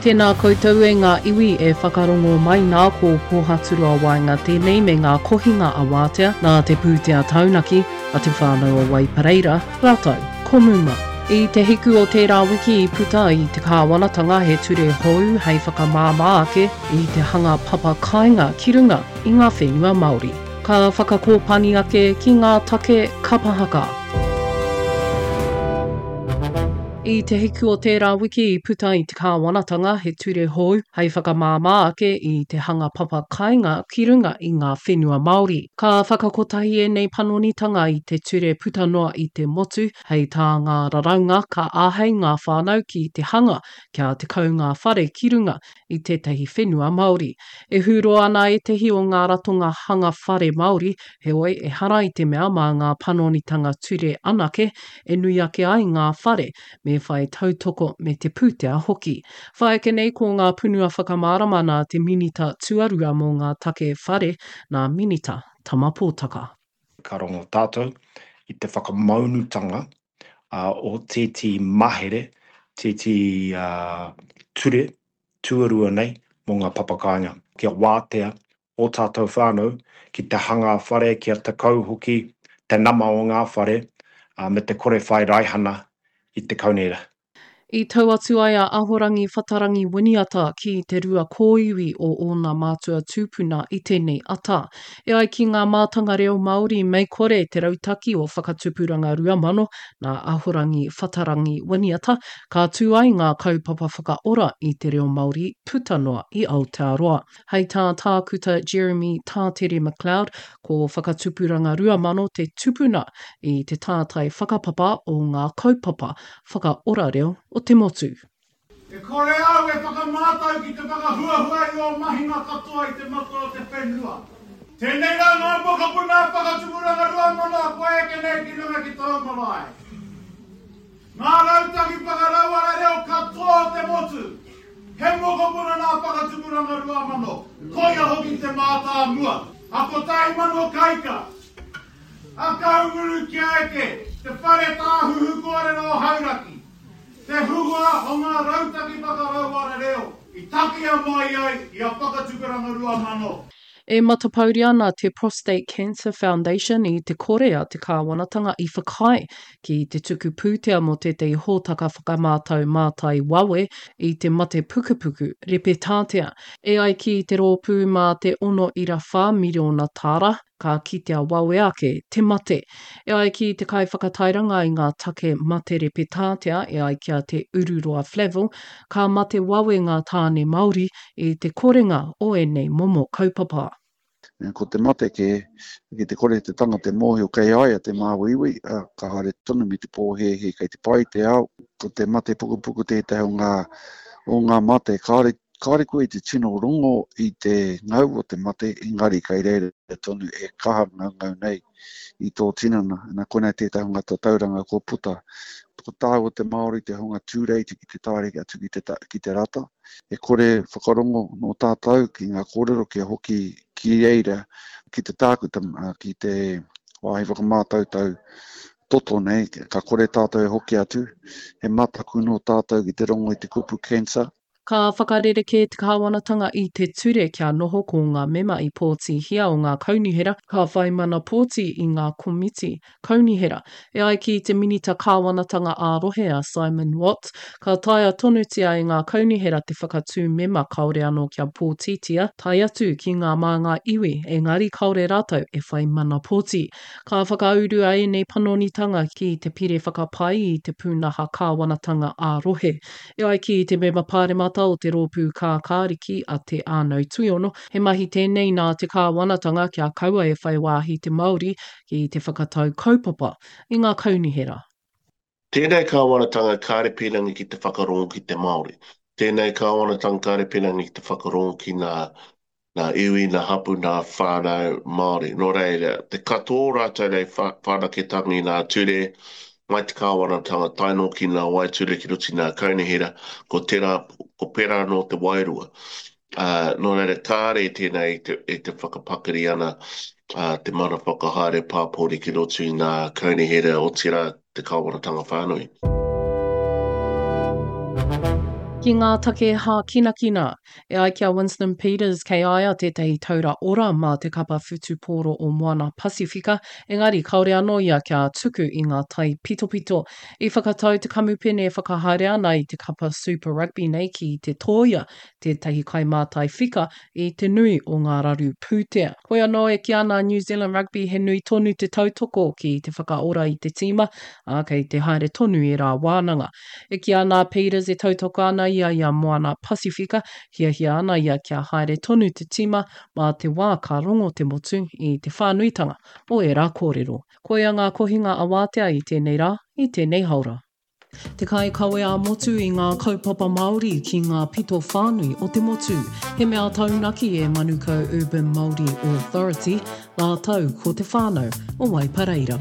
Tēnā koutou e ngā iwi e whakarongo mai nā ko Pōhaturoa Waenga tēnei me ngā kohinga a Wātea nā te pūtea taunaki a Te Whānau o Waipareira rātou ko Muma. I te hiku o tērā wiki i puta i te kāwanatanga he ture hou hei whakamāmā ake i te hanga papa kāinga ki runga i ngā whenua Māori. Ka whakakōpani ake ki ngā take kapa haka. I te hiku o tērā wiki i puta i te kāwanatanga he ture hou hei whakamāmā ake i te hanga papa kāinga ki runga i ngā whenua Māori. Ka whakakotahi ēnei panonitanga i te ture puta noa i te motu, hei tā ngā raraunga ka āhei ngā whānau ki te hanga kia 10 ngā whare ki runga i tētahi whenua Māori. E hūroa ana ētahi o ngā ratonga hanga whare Māori, heoi ehara i te mea mā ngā panonitanga ture anake e nui ake ai ngā whare, me whai tautoko me te pūtea hoki. Whai ake nei ko ngā punua whakamārama nā te Minita Tuarua mō ngā Take Whare, nā Minita Tama Potaka. Ka rongo tātou i te whakamaunutanga o tētehi mahere, tētehi ture tuarua nei mō ngā papakāinga. Kia wātea ō tātou whānau ki te hanga whare, kia tekau hoki te nama o ngā whare me te kore whai raihana i te kaunihera. I tau atu ai a Ahorangi Whatarangi Winiata ki te rua kōiwi o ōna mātua tūpuna i tēnei ata. E ai ki ngā mātanga reo Māori mei kore te rautaki o Whakatupuranga 2000 nā Ahorangi Whatarangi Winiata, ka tū ai ngā kaupapa whakaora i te reo Māori puta noa i Aotearoa. Hei tā Tākuta Jeremy Tātere MacLeod, ko Whakatupuranga 2000 te tupuna i te tātai whakapapa o ngā kaupapa whakaora reo o te motu. E kore au e whakamātau ki te whakahuahua i ō mahinga katoa i te mata o te whenua. Tēnei rā ngā mokopuna Whakatupuranga 2000 kua eke nei ki runga ki tōu marae. Ngā rautaki whakarauora reo katoa o te motu. He mokopuna nā Whakatupuranga 2000, koia hoki te mātāmua a 1000 Kaika, a Kahungunu kia eke, te whare tāhuhu kōrero o Hauraki, te huhua o ngā rautaki whakarauora reo i takea mai ai i a Whakatupuranga 2000. E matapouri ana te Prostate Cancer Foundation i te kore a te kāwanatanga i whakaae ki te tuku pūtea mō tētahi hōtaka whakamātau mātai wawe i te mate pukupuku repetātea. E ai ki te rōpū mā te 6.4 miriona tāra, ka kitea wawe ake te mate. E ai ki te kaiwhakatairanga i ngā take mate repetātea e ai ki a Te Ururoa Flavell, ka mate wawe ngā tāne Māori i te korenga o ēnei momo kaupapa. Ko te mate kē, ki te kore te tangata e mōhio kei a ia te māuiui, ka haere tonu me te pōhēhē kei te pai te ao. Ko te mate pukupuku tētahi o ngā, o ngā mate kāore, kāore koe i te tino rongo i te ngau o te mate, engari kei reira tonu e kaha ngaungau nei i tō tinana. Nā konei tētahi o ngā tatauranga kua puta. Ko tāua te Māori te hunga tūreiti ki te taere atu ki te, ki te rata. E kore whakarongo nō tātou ki ngā kōrero kia hoki ki reira, ki te tākuta, ki te wāhi whakamātautau toto nei, ka kore tātou e hoki atu. He mataku nō tātou ki te rongo i te kupu cancer. Ka whakarerekē te kāwanatanga i te ture kia noho ko ngā mema i pōtihia o ngā kaunihera ka whai mana pōti i ngā komiti kaunihera. E ai ki te Minita Kāwanatanga ā-Rohe a Simon Watts, ka taea tonutia e ngā kaunihera te whakatū mema kāore anō kia pōtitia, tae atu ki ngā māngai iwi, engari kāore rātou e whai mana pōti. Ka whakaurua ēnei panonitanga ki te Pire Whakapai i te Pūnaha Kāwanatanga ā-Rohe. E ai ki te mema pāremata o te Rōpū Kākāriki a Te Ānau Tuiono, he mahi tēnei nā te kāwanatanga kia kaua e whai wāhi te Māori ki te whakatau kaupapa i ngā kaunihera. Tēnei kāwanatanga kāre pīrangi ki te whakarongo ki te Māori. Tēnei kāwanatanga kāre pīrangi ki te whakarongo ki ngā Nā iwi, nā hapu, nā whānau Māori. Nō reira, te katoa o rātou nei whanaketanga i nā ture, mai te kāwanatanga tae noa ki nā waeture ki roto i nā kaunihera, ko tērā, ko pērā anō te wairua. Ā, nō reira, kāre tēnei i te, i te whakapakari ana te mana whakahaere pāpori ki roto i nā kaunihera, otirā te kāwanatanga whānui. Ki ngā take hākinakina, e ai ki a Winston Peters kei a ia tētahi taura ora mā te kapa whutupōro o Moana Pasifika, engari kāore anō ia kia tuku i ngā taipitopito. I whakatau te kamupene e whakahaere ana i te kapa Super Rugby nei ki te tōia tētahi kaimātai whika i te nui o ngā raru pūtea. Hoi anō e kī ana a New Zealand Rugby he nui tonu te tautoko ki te whakaora i te tīma, ā, kei te haere tonu ērā wānanga. E kī ana a Peters e tautoko ana ia i a Moana Pasifika, hiahia ana ia kia haere tonu te tīma mā te wā ka rongo te motu i te whānuitanga o ērā kōrero. Koia ngā kohinga awātea i tēnei rā, i tēnei haora. Te kaikawe ā-motu i ngā kaupapa Māori ki ngā pito whānui o te motu. He mea taunaki e Manukau Urban Māori Authority rātou ko te whānau o Waipareira.